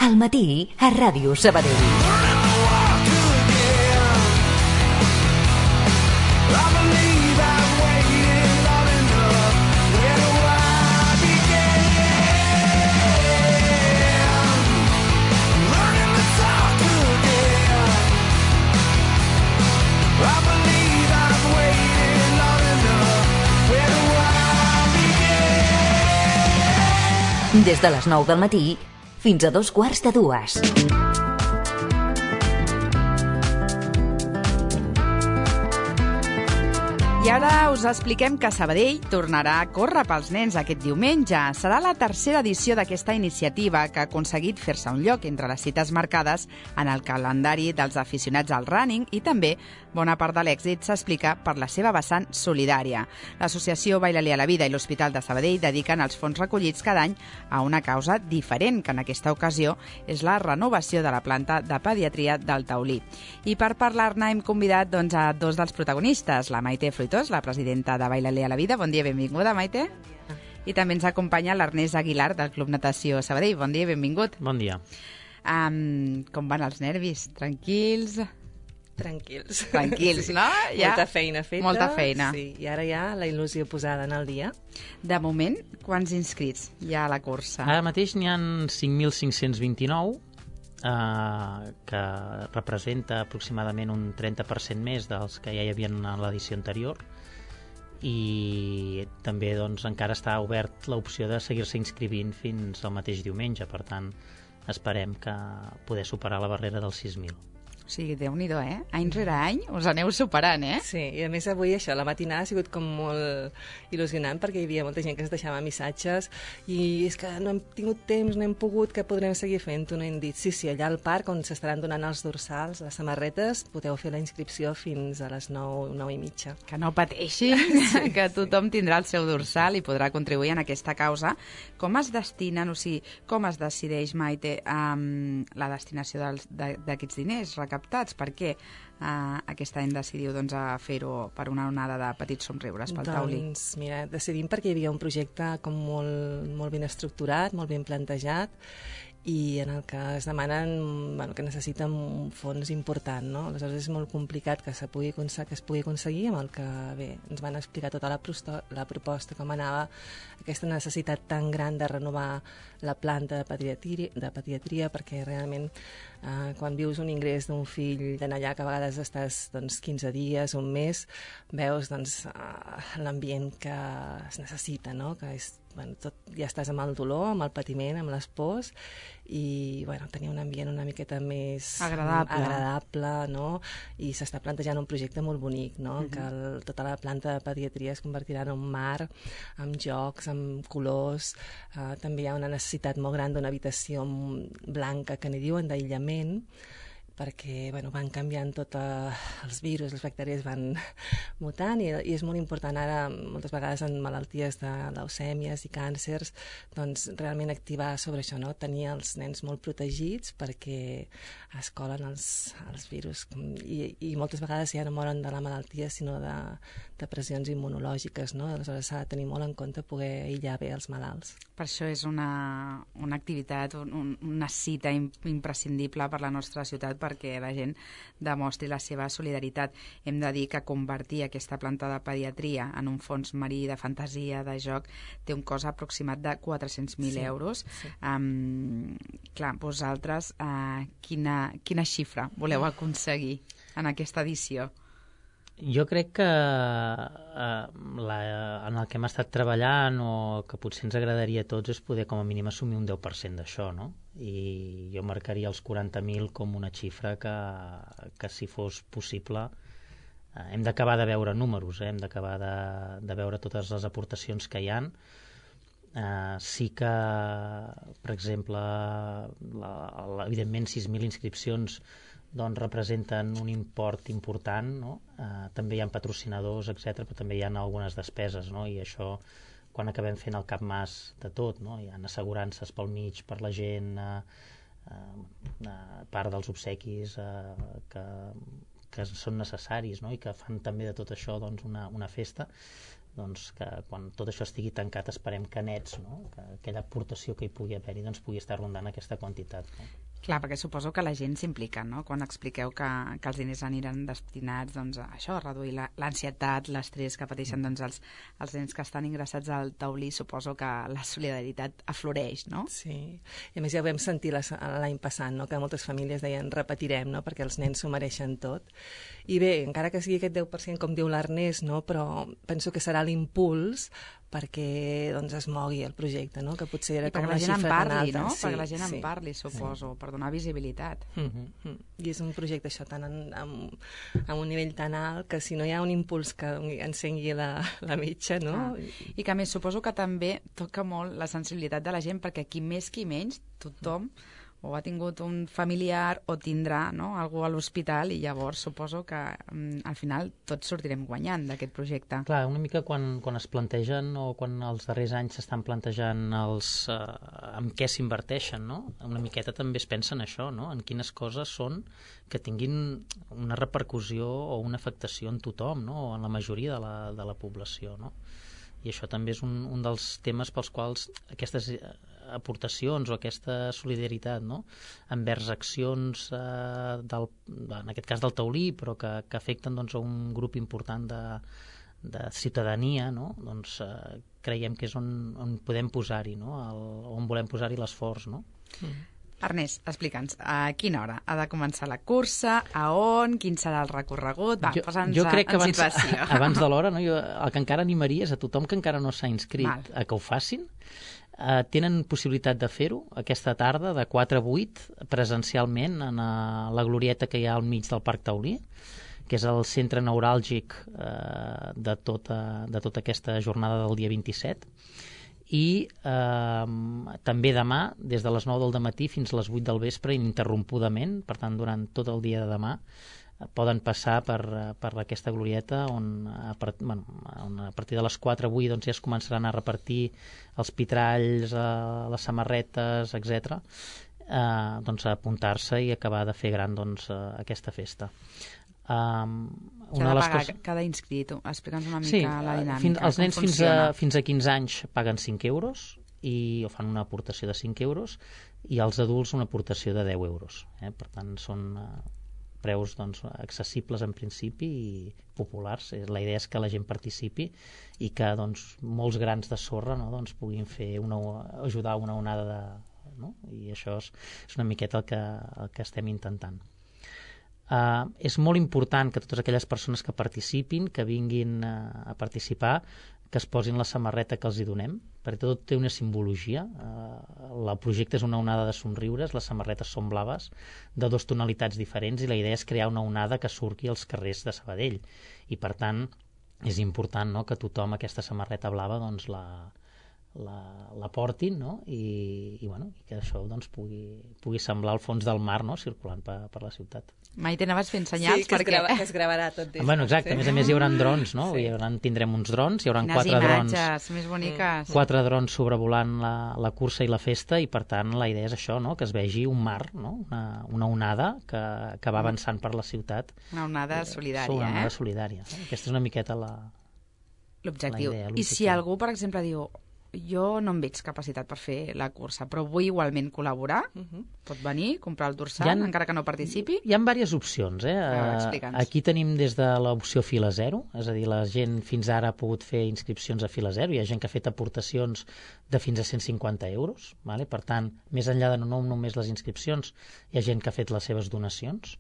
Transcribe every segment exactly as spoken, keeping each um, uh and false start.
Al matí, a Ràdio Sabadell. Des de les nou del matí fins a dos quarts de dues. I ara us expliquem que Sabadell tornarà a córrer pels nens aquest diumenge. Serà la tercera edició d'aquesta iniciativa que ha aconseguit fer-se un lloc entre les cites marcades en el calendari dels aficionats al running i també bona part de l'èxit s'explica per la seva vessant solidària. L'associació Baila-li a la Vida i l'Hospital de Sabadell dediquen els fons recollits cada any a una causa diferent, que en aquesta ocasió és la renovació de la planta de pediatria del Taulí. I per parlar-ne hem convidat doncs, a dos dels protagonistes, la Maite Fruitós, la presidenta de Baila-li a la Vida. Bon dia, benvinguda, Maite. I també ens acompanya l'Ernest Aguilar, del Club Natació Sabadell. Bon dia, benvingut. Bon dia. Um, com van els nervis? Tranquils? Tranquils. Tranquils, sí. no? Ja? Molta feina feta. Molta feina. Sí, i ara ja la il·lusió posada en el dia. De moment, quants inscrits hi ha a la cursa? Ara mateix n'hi ha cinc mil cinc-cents vint-i-nou, eh, que representa aproximadament un trenta per cent més dels que ja hi havia en l'edició anterior, i també doncs, encara està obert l'opció de seguir-se inscrivint fins al mateix diumenge, per tant esperem que poder superar la barrera dels sis mil. O sigui, Déu-n'hi-do, eh? Any rere any us aneu superant, eh? Sí, i a més avui això, la matinada ha sigut com molt il·lusionant perquè hi havia molta gent que es deixava missatges i és que no hem tingut temps, no hem pogut, que podrem seguir fent-ho, no hem dit. Sí, sí, allà al parc on s'estaran donant els dorsals, les samarretes, podeu fer la inscripció fins a les nou, nou i mitja. Que no pateixin, sí, que tothom tindrà el seu dorsal i podrà contribuir en aquesta causa. Com es destinen, o sigui, com es decideix, Maite, um, la destinació dels, d'aquests diners recaptats? Per què uh, aquest any decidiu doncs, a fer-ho per una onada de petits somriures pel Taulí? Doncs mira, decidim perquè hi havia un projecte com molt, molt ben estructurat, molt ben plantejat, i en el que es demanen, bueno, que necessiten un fons important, no? Aleshores és molt complicat que, se pugui, que es pugui aconseguir, amb el que bé, ens van explicar tota la, prosto, la proposta, com anava aquesta necessitat tan gran de renovar la planta de pediatria, de pediatria perquè realment eh, quan vius un ingrés d'un fill d'anar allà, que a vegades estàs doncs, quinze dies, un mes, veus doncs, eh, l'ambient que es necessita, no? Que és, bueno, tot, ja estàs amb el dolor, amb el patiment, amb les pors, i bueno, tenir un ambient una miqueta més agradable, agradable, no? I s'està plantejant un projecte molt bonic, no? Uh-huh. Que el, tota la planta de pediatria es convertirà en un mar, amb jocs, amb colors. Uh, també hi ha una necessitat molt gran d'una habitació blanca, que n'hi diuen d'aïllament, perquè bueno, van canviant tots els virus, les bactèries van mutant i, i és molt important ara, moltes vegades en malalties de leucèmies i càncers, doncs realment activar sobre això, no? Tenir els nens molt protegits perquè es colen els, els virus i, i moltes vegades ja no moren de la malaltia sinó de, de pressions immunològiques, no? Aleshores s'ha de tenir molt en compte poder aïllar bé els malalts. Per això és una, una activitat, un, una cita imprescindible per la nostra ciutat, perquè la gent demostri la seva solidaritat. Hem de dir que convertir aquesta planta de pediatria en un fons marí de fantasia, de joc, té un cost aproximat de quatre-cents mil sí, euros. Sí. Um, clar, vosaltres, uh, quina, quina xifra voleu aconseguir en aquesta edició? Jo crec que eh, la, en el que hem estat treballant o que potser ens agradaria a tots és poder com a mínim assumir un deu per cent d'això, no? I jo marcaria els quaranta mil com una xifra que, que si fos possible eh, hem d'acabar de veure números, eh? Hem d'acabar de, de veure totes les aportacions que hi han. Eh, sí que, per exemple, la, la, evidentment sis mil inscripcions doncs representen un import important, no? Eh, també hi ha patrocinadors, etcètera, però també hi ha algunes despeses, no? I això, quan acabem fent el capmàs de tot, no? Hi ha assegurances pel mig, per la gent, eh, eh, part dels obsequis eh, que, que són necessaris, no? I que fan també de tot això doncs, una, una festa. doncs que quan tot això estigui tancat esperem que nets, no? Que aquella aportació que hi pugui haver-hi doncs pugui estar rondant aquesta quantitat. No? Clar, perquè suposo que la gent s'implica, no? Quan expliqueu que, que els diners aniran destinats doncs, a això, a reduir l'ansietat, l'estrès que pateixen doncs, els, els nens que estan ingressats al taulí, suposo que la solidaritat afloreix, no? Sí, i a més ja ho vam sentir l'any passat, no? Que moltes famílies deien repetirem, no? Perquè els nens s'ho mereixen tot. I bé, encara que sigui aquest deu per cent, com diu l'Ernest, no? Però penso que serà l'impuls perquè doncs, es mogui el projecte, no? Que potser era I com perquè una la gent en xifra tan parli, alta. no? Sí, perquè la gent sí. en parli, suposo, sí. Per donar visibilitat. Mm-hmm. I és un projecte això tan en, amb, amb un nivell tan alt que si no hi ha un impuls que encengui la, la mitja, no? Ah. I que a més suposo que també toca molt la sensibilitat de la gent, perquè qui més qui menys, tothom o ha tingut un familiar o tindrà, no? Algú a l'hospital, i llavors suposo que mm, al final tots sortirem guanyant d'aquest projecte. Clar, una mica quan, quan es plantegen o quan els darrers anys s'estan plantejant els, eh, en què s'inverteixen, no? Una miqueta també es pensa en això, no? En quines coses són que tinguin una repercussió o una afectació en tothom, no? O en la majoria de la, de la població, no? I això també és un, un dels temes pels quals aquestes aportacions o aquesta solidaritat, no? Envers accions eh, del, en aquest cas del taulí, però que, que afecten doncs, a un grup important de, de ciutadania, no? Doncs eh, creiem que és on, on podem posar-hi, no? El, on volem posar-hi l'esforç, no? Mm. Ernest, explica'ns, a quina hora ha de començar la cursa, a on, quin serà el recorregut? Va, posa'ns jo crec que en abans, situació. abans de l'hora, no? Jo, el que encara animaria és a tothom que encara no s'ha inscrit Val. a que ho facin. Uh, tenen possibilitat de fer-ho aquesta tarda de quatre a vuit presencialment en uh, la glorieta que hi ha al mig del Parc Taulí, que és el centre neuràlgic uh, de, tota, de tota aquesta jornada del dia vint-i-set. I eh, també demà, des de les nou del matí fins a les vuit del vespre, ininterrompudament, per tant, durant tot el dia de demà, eh, poden passar per, per aquesta glorieta on a, part, bueno, on a partir de les quatre avui doncs, ja es començaran a repartir els pitralls, eh, les samarretes, etcètera. Eh, doncs a apuntar-se i acabar de fer gran doncs, eh, aquesta festa. Um, una de les pagar coses... cada inscrit. Explica'ns una mica sí, la dinàmica. Fins, els nens fins a, fins a quinze anys paguen cinc euros i o fan una aportació de cinc euros i els adults una aportació de deu euros. Eh? Per tant, són uh, preus doncs, accessibles en principi i populars. La idea és que la gent participi i que doncs, molts grans de sorra no, doncs, puguin fer una, ajudar una onada de... No? I això és, és una miqueta el que, el que estem intentant. Uh, és molt important que totes aquelles persones que participin, que vinguin uh, a participar, que es posin la samarreta que els hi donem, perquè tot té una simbologia. Uh, el projecte és una onada de somriures, les samarretes són blaves, de dues tonalitats diferents, i la idea és crear una onada que surti als carrers de Sabadell. I, per tant, és important no, que tothom aquesta samarreta blava doncs, la, la, la portin, no? I, i, bueno, i que això doncs, pugui, pugui semblar el fons del mar no? Circulant per, per la ciutat. Mai t'anaves fent senyals sí, que perquè... es, grava, que es gravarà tot des. Bueno, exacte, sí. A més a més hi haurà drons, no? Sí. Hi haurà, tindrem uns drons, hi haurà Quines quatre drons... imatges més boniques. Quatre drons sobrevolant la, la cursa i la festa i, per tant, la idea és això, no? Que es vegi un mar, no? Una, una onada que, que va avançant per la ciutat. Una onada solidària, eh? Una onada eh? solidària. Aquesta és una miqueta la... L'objectiu. I si algú, per exemple, diu jo no em veig capacitat per fer la cursa, però vull igualment col·laborar, uh-huh. pot venir, comprar el dorsal, ha, encara que no participi? Hi ha diverses opcions. Eh? Ah, aquí tenim des de l'opció fila zero, és a dir, la gent fins ara ha pogut fer inscripcions a fila zero, hi ha gent que ha fet aportacions de fins a cent cinquanta euros, vale? Per tant, més enllà de no, no només les inscripcions, hi ha gent que ha fet les seves donacions.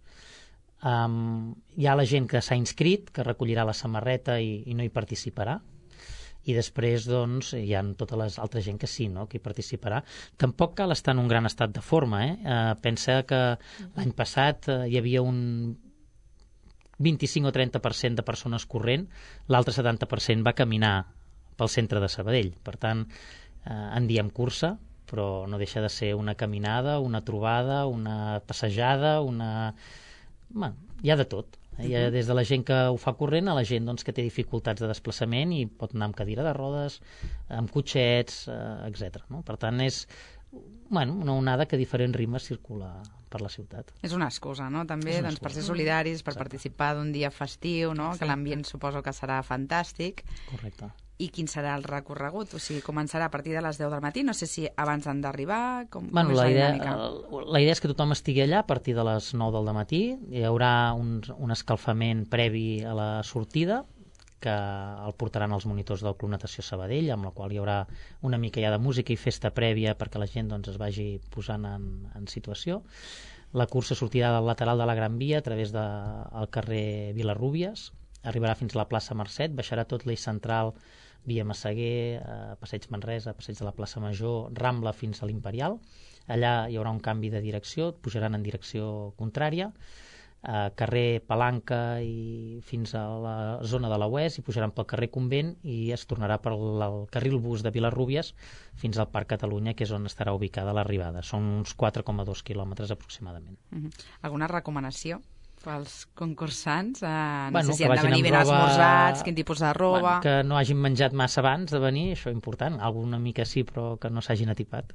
Um, hi ha la gent que s'ha inscrit, que recollirà la samarreta i, i no hi participarà, i després doncs, hi ha tota l'altra gent que sí, no? Que hi participarà. Tampoc cal estar en un gran estat de forma. Eh? Eh, pensa que l'any passat eh, hi havia un vint-i-cinc o trenta per cent de persones corrent, l'altre setanta per cent va caminar pel centre de Sabadell. Per tant, eh, en diem cursa, però no deixa de ser una caminada, una trobada, una passejada, una... Bueno, hi ha de tot. Hi ha des de la gent que ho fa corrent a la gent doncs, que té dificultats de desplaçament i pot anar amb cadira de rodes, amb cotxets, eh, etcètera. No? Per tant, és bueno, una onada que a diferents ritmes circula per la ciutat. És una excusa, no? També doncs, per ser solidaris, per Exacte. Participar d'un dia festiu, no? Que l'ambient suposo que serà fantàstic. Correcte. I quin serà el recorregut? O sigui, començarà a partir de les deu del matí? No sé si abans han d'arribar, com, bueno, com és la la idea, dinàmica? La idea és que tothom estigui allà a partir de les nou del matí. Hi haurà un, un escalfament previ a la sortida, que el portaran els monitors del Club Natació Sabadell, amb la qual hi haurà una mica ja de música i festa prèvia perquè la gent doncs, es vagi posant en, en situació. La cursa sortirà del lateral de la Gran Via a través del de, carrer Vilarrúbies, arribarà fins a la plaça Mercet, baixarà tot l'eix central via Massaguer, eh, Passeig Manresa, Passeig de la plaça Major, Rambla fins a l'Imperial. Allà hi haurà un canvi de direcció, pujaran en direcció contrària, eh, carrer Palanca i fins a la zona de la U E S, i pujaran pel carrer Convent i es tornarà per el carril bus de Vilarrúbies fins al Parc Catalunya, que és on estarà ubicada l'arribada. Són uns quatre coma dos quilòmetres aproximadament. Uh-huh. Alguna recomanació pels concursants? Eh, no bueno, sé si han de venir ben roba... esmorzats, quin tipus de roba... Bueno, que no hagin menjat massa abans de venir, això és important. Alguna mica sí, però que no s'hagin atipat.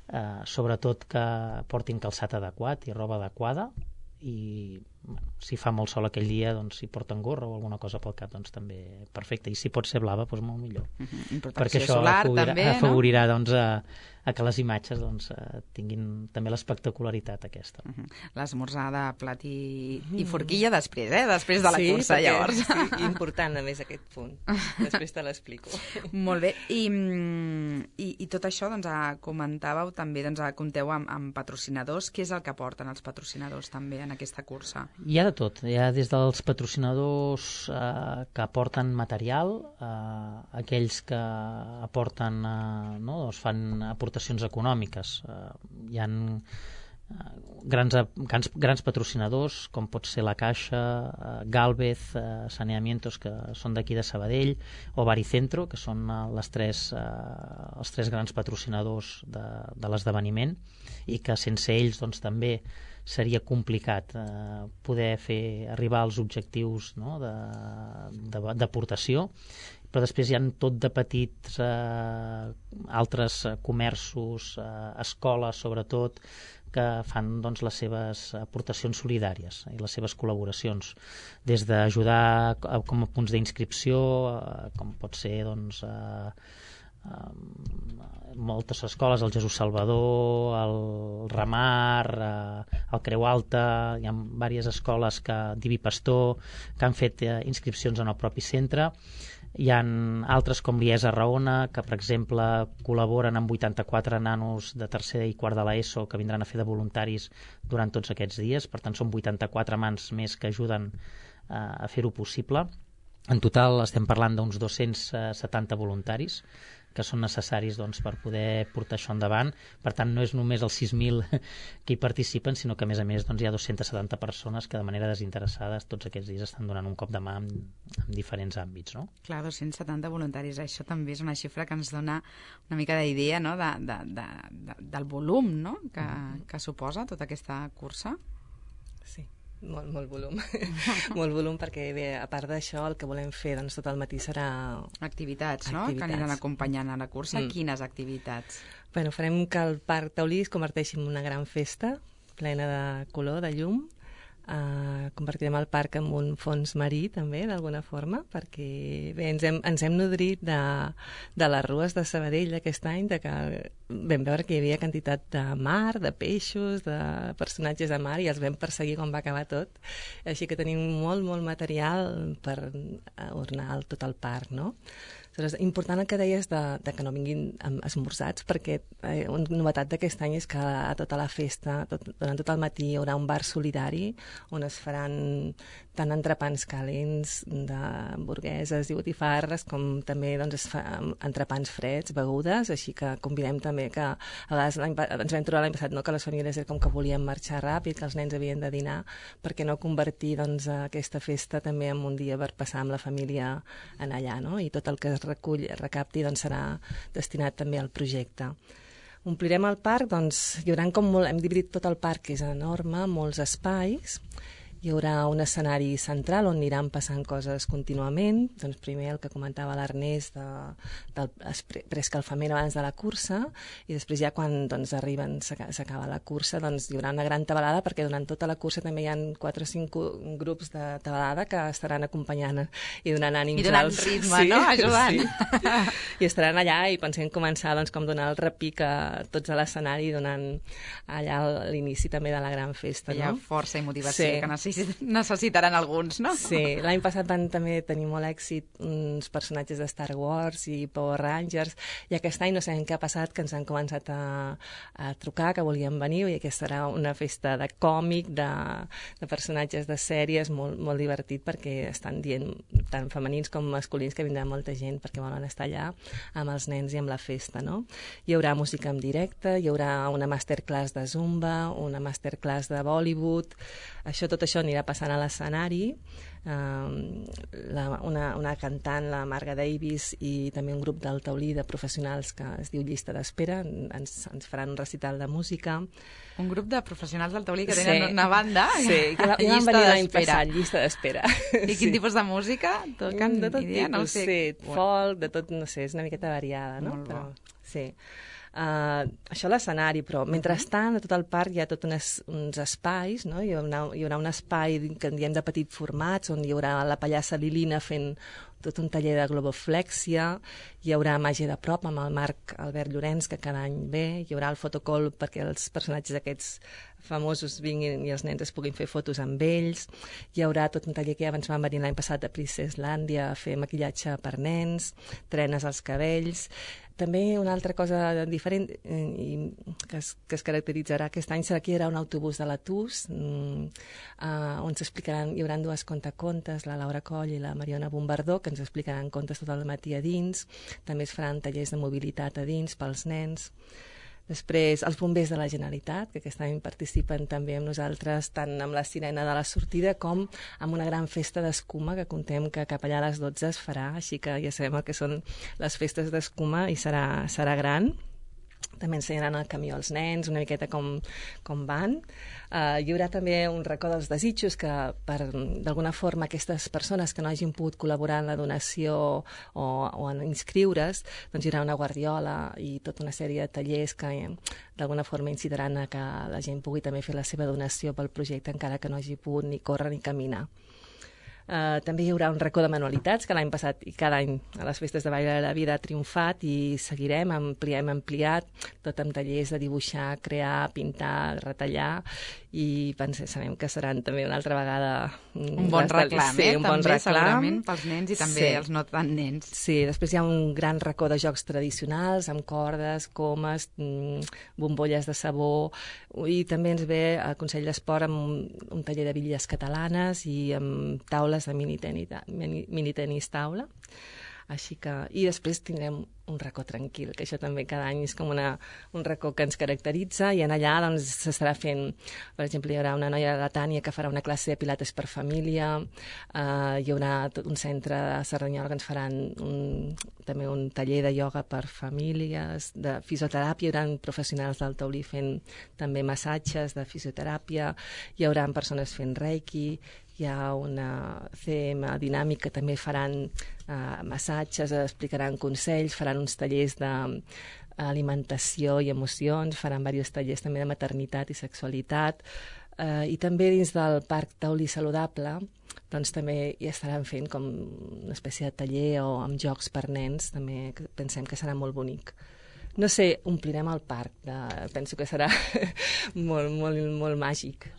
Eh, sobretot que portin calçat adequat i roba adequada, i bueno, si fa molt sol aquell dia, doncs si porten gorra o alguna cosa pel cap, doncs també perfecte, i si pot ser blava, doncs molt millor. Uh-huh. Perquè això solar, afavorirà, també, afavorirà no? doncs, a, a que les imatges doncs, tinguin també l'espectacularitat aquesta. Uh-huh. L'esmorzar de plat i, i forquilla després, eh? Després de la sí, cursa, perquè, llavors. Sí, important a més aquest punt. Després te l'explico. Molt bé. I, i, i tot això, doncs, comentàveu també, doncs, compteu amb, amb patrocinadors. Què és el que porten els patrocinadors també en aquesta cursa? Hi ha de tot. Hi ha des dels patrocinadors eh, que aporten material, eh, aquells que aporten, eh, no, doncs fan aportacions econòmiques. Eh, hi ha eh, grans, grans, grans patrocinadors, com pot ser la Caixa, eh, Gálvez, eh, Saneamientos, que són d'aquí de Sabadell, o Baricentro, que són eh, les tres, eh, els tres grans patrocinadors de, de l'esdeveniment, i que sense ells doncs, també seria complicat eh, poder fer arribar als objectius, no, d'aportació, però després hi ha tot de petits eh, altres comerços, eh, escoles sobretot, que fan doncs, les seves aportacions solidàries i les seves col·laboracions, des d'ajudar com a punts d'inscripció, eh, com pot ser doncs, eh, moltes escoles, el Jesús Salvador, el Ramar, eh, el Creu Alta, hi ha diverses escoles, que Diví Pastor, que han fet eh, inscripcions en el propi centre. Hi ha altres com l'IESA Raona, que per exemple col·laboren amb vuitanta-quatre nanos de tercer i quart de l'ESO que vindran a fer de voluntaris durant tots aquests dies. Per tant, són vuitanta-quatre mans més que ajuden eh, a fer-ho possible. En total estem parlant d'uns dos-cents setanta voluntaris que són necessaris doncs, per poder portar això endavant. Per tant, no és només els sis mil que hi participen, sinó que a més a més doncs, hi ha dos-centes setanta persones que de manera desinteressada tots aquests dies estan donant un cop de mà en, en diferents àmbits. No? Clar, dos-cents setanta voluntaris, això també és una xifra que ens dona una mica d'idea, no? de, de, de, de, del volum, no? que, mm-hmm. que suposa tota aquesta cursa. Sí. Molt, molt volum. Molt volum, perquè bé, a part d'això el que volem fer doncs, tot el matí serà... Activitats, no? Activitats. Que aniran acompanyant a la cursa. Mm. Quines activitats? Bueno, farem que el Parc Taulí es converteixi en una gran festa plena de color, de llum. Uh, convertirem el parc en un fons marí també, d'alguna forma, perquè bé, ens hem, ens hem nodrit de, de les rues de Sabadell d'aquest any, de que vam veure que hi havia quantitat de mar, de peixos, de personatges de mar, i els vam perseguir quan va acabar tot, així que tenim molt, molt material per ornar tot el parc, no? És important el que deies de, de que no vinguin esmorzats, perquè eh, una novetat d'aquest any és que a tota la festa, tot, durant tot el matí, hi haurà un bar solidari on es faran tant entrepans calents d'hamburgueses i botifarres, com també doncs, es fa entrepans freds, begudes, així que convidem també que a vegades ens vam trobar l'any passat, no, que les famílies era com que volien marxar ràpid, que els nens havien de dinar, perquè no convertir doncs, aquesta festa també en un dia per passar amb la família en allà, no? I tot el que es recull, recapti, doncs serà destinat també al projecte. Omplirem el parc, doncs hi haurà com molt, hem dividit tot el parc, que és enorme, molts espais, Hi haurà un escenari central on aniran passant coses contínuament. Doncs primer el que comentava l'Ernest de, del preescalfament abans de la cursa, i després ja quan doncs, arriben, s'acaba la cursa, doncs hi haurà una gran tabalada, perquè durant tota la cursa també hi ha quatre o cinc grups de tabalada que estaran acompanyant i donant ànims. I donant als... ritme, sí, no? Ajudant. Sí. I estaran allà i pensem començar doncs, com donar el repic a tots a l'escenari, donant allà l'inici també de la gran festa. Hi ha no? força i motivació Sí. que necessit, necessitaran alguns, no? Sí, l'any passat van també tenir molt èxit uns personatges de Star Wars i Power Rangers, i aquest any no sabem què ha passat, que ens han començat a, a trucar, que volien venir, i aquesta serà una festa de còmic, de, de personatges de sèries, molt, molt divertit, perquè estan dient tant femenins com masculins que vindrà molta gent perquè volen estar allà amb els nens i amb la festa, no? Hi haurà música en directe, hi haurà una masterclass de Zumba, una masterclass de Bollywood, això, tot això anirà passant a l'escenari. Um, la, una, una cantant, la Marga Davis, i també un grup del taulí de professionals que es diu Llista d'Espera, ens, ens faran un recital de música. Un grup de professionals del taulí que tenen sí. una banda, sí, que ja van venir l'any passat, Llista d'Espera. I quin sí. tipus de música? Toquen, de tot idea, tipus, no sé. Sí, folk, de tot, no sé, és una miqueta variada, no? Molt Però, bo. sí. Uh, això a l'escenari, però mentrestant a tot el parc hi ha tot unes, uns espais, no? Hi haurà, hi haurà un espai que en diem de petit formats, on hi haurà la pallassa Lilina fent tot un taller de globoflèxia, hi haurà màgia de prop amb el Marc Albert Llorenç, que cada any ve, hi haurà el fotocall perquè els personatges aquests famosos vinguin i els nens es puguin fer fotos amb ells, hi haurà tot un taller que ja ens van venir l'any passat a Princesslàndia a fer maquillatge per nens, trenes als cabells. També una altra cosa diferent i que es, que es caracteritzarà aquest any serà que hi haurà un autobús de la T U S, mm, uh, on s'explicaran, hi haurà dues contacontes, la Laura Coll i la Mariona Bombardó, que ens explicaran contes tot el matí a dins. També es faran tallers de mobilitat a dins pels nens. Després, els bombers de la Generalitat, que aquest any participen també amb nosaltres, tant amb la sirena de la sortida com amb una gran festa d'escuma que contem que cap allà a les dotze es farà, així que ja sabem el que són les festes d'escuma i serà, serà gran. També ensenyaran el camió als nens, una miqueta com, com van. Uh, hi haurà també un racó dels desitjos que, per d'alguna forma, aquestes persones que no hagin pogut col·laborar en la donació o, o en inscriure's, doncs hi haurà una guardiola i tota una sèrie de tallers que d'alguna forma incitaran a que la gent pugui també fer la seva donació pel projecte, encara que no hagi pogut ni córrer ni caminar. Uh, també hi haurà un racó de manualitats que l'any passat i cada any a les festes de Vall de la Vida ha triomfat, i seguirem, ampliem, ampliat, tot amb tallers de dibuixar, crear, pintar, retallar, i pensem, sabem que seran també una altra vegada un bon reclam, sí, eh? un també bon reclam. Segurament pels nens i també sí. els no tan nens. Sí, després hi ha un gran racó de jocs tradicionals amb cordes, comes, bombolles de sabó, i també ens ve el Consell d'Esport amb un, un taller de bitlles catalanes i amb taules de mini tenis, mini, mini tenis taula. Així que, i després tindrem un racó tranquil, que això també cada any és com una, un racó que ens caracteritza, i en allà doncs s'estarà fent, per exemple, hi haurà una noia de la Tània que farà una classe de pilates per família, uh, hi haurà tot un centre de Cerdanyola que ens faran un, també un taller de ioga per famílies, de fisioteràpia, hi haurà professionals del taulí fent també massatges de fisioteràpia, hi haurà persones fent reiki, hi ha una C M dinàmica, també faran uh, massatges, explicaran consells, faran uns tallers d'alimentació i emocions, faran diversos tallers també de maternitat i sexualitat, uh, i també dins del Parc Taulí Saludable doncs també hi estaran fent com una espècie de taller o amb jocs per nens, també pensem que serà molt bonic. No sé, omplirem el parc, de, penso que serà molt, molt, molt màgic.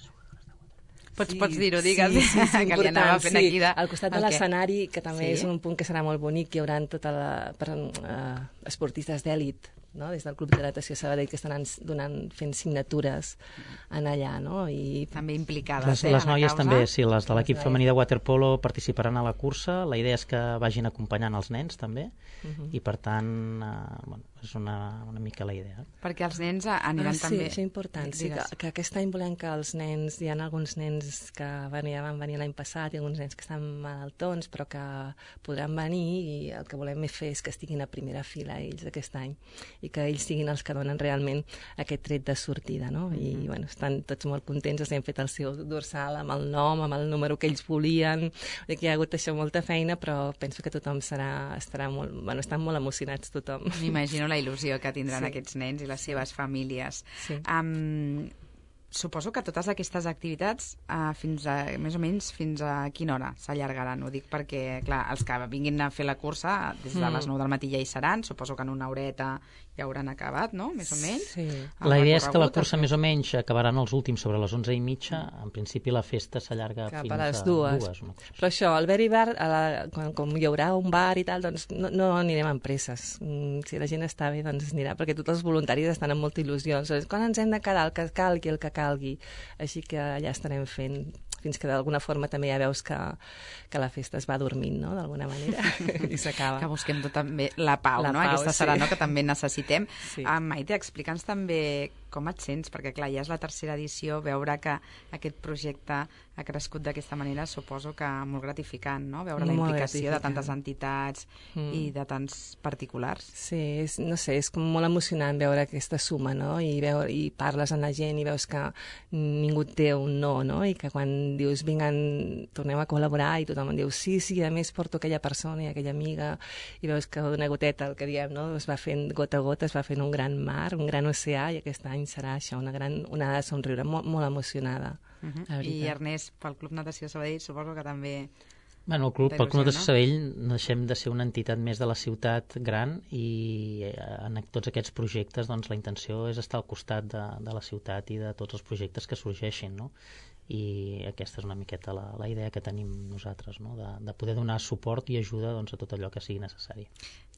Pots, sí, pots dir-ho, digues, sí, sí, sí, que li anava fent sí. aquí de... Al costat de l'escenari, que també sí? és un punt que serà molt bonic, hi haurà tota la, per, uh, esportistes d'èlit, no? Des del Club de Natació Sabadell, que estan donant, fent signatures en allà, no? I també implicades, les, eh, les noies causa. també, sí, les de l'equip femení de waterpolo participaran a la cursa. La idea és que vagin acompanyant els nens també, uh -huh. i per tant eh, bueno, és una, una mica la idea. Perquè els nens aniran ah, també... Sí, això és important. Sí, que, que aquest any volem que els nens, hi ha alguns nens que van, ja van venir l'any passat, i alguns nens que estan malaltons, però que podran venir, i el que volem fer és que estiguin a primera fila ells aquest any. i que ells siguin els que donen realment aquest tret de sortida, no? I bueno, estan tots molt contents, els hem fet el seu dorsal amb el nom, amb el número que ells volien, que hi ha hagut això molta feina, però penso que tothom serà, estarà molt, bueno, estan molt emocionats tothom. M'imagino la il·lusió que tindran Sí. aquests nens i les seves famílies. Sí. Um, suposo que totes aquestes activitats uh, fins a, més o menys fins a quina hora s'allargaran? Ho dic perquè, clar, els que vinguin a fer la cursa des de les nou del matí ja hi seran, suposo que en una horeta ja hauran acabat, no?, més o menys. Sí. La idea és que la cursa més o menys acabaran els últims sobre les onze i mitja. En principi la festa s'allarga Cap fins a les a dues. dues una cosa així. Però això, al Very Bar, a la, quan, com hi haurà un bar i tal, doncs no, no anirem amb presses. Mm, si la gent està bé, doncs anirà, perquè tots els voluntaris estan amb molta il·lusió. Doncs, quan ens hem de quedar, el que calgui, el que calgui. Així que allà estarem fent, fins que d'alguna forma també ja veus que, que la festa es va dormint, no?, d'alguna manera, i s'acaba. Que busquem tot també la pau, La no? pau, Aquesta sí. serà, no?, que també necessitem. Sí. Ah, Maite, explica'ns també com et sents, perquè clar, ja és la tercera edició, veure que aquest projecte ha crescut d'aquesta manera, suposo que molt gratificant, no?, veure la Molt implicació de gratificant. tantes entitats Mm. i de tants particulars. Sí, és, no sé, és com molt emocionant veure aquesta suma, no? I, veure, i parles amb la gent i veus que ningú té un no, no? I que quan dius, vinguen, tornem a col·laborar, i tothom diu, sí, sí, a més porto aquella persona i aquella amiga, i veus que una goteta, el que diem, no?, es va fent gota a gota, es va fent un gran mar, un gran oceà, i aquest any serà això, una gran onada de somriure, molt, molt emocionada. Uh -huh. La I veritat. Ernest, pel Club Natació Sabadell, suposo que també... Bueno, el Club, Molta pel Club de il·lusió, no? Sabadell deixem de ser una entitat més de la ciutat gran i eh, en tots aquests projectes doncs, la intenció és estar al costat de, de la ciutat i de tots els projectes que sorgeixin, no? I aquesta és una miqueta la, la idea que tenim nosaltres, no?, de, de poder donar suport i ajuda doncs, a tot allò que sigui necessari.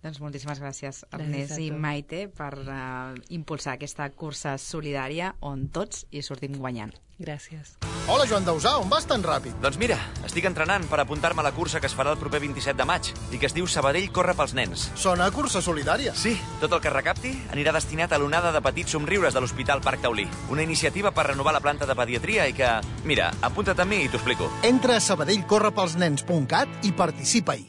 Doncs moltíssimes gràcies, Gràcies Ernest a i tu. Maite, per uh, impulsar aquesta cursa solidària on tots hi sortim guanyant. Gràcies. Hola, Joan Dausà, on vas tan ràpid? Doncs mira, estic entrenant per apuntar-me a la cursa que es farà el proper vint-i-set de maig i que es diu Sabadell corre pels nens. Sona a cursa solidària. Sí, tot el que recapti anirà destinat a l'onada de petits somriures de l'Hospital Parc Taulí. Una iniciativa per renovar la planta de pediatria i que... Mira, apunta't amb mi i t'ho explico. Entra a sabadellcorrepelsnens punt cat i participa-hi.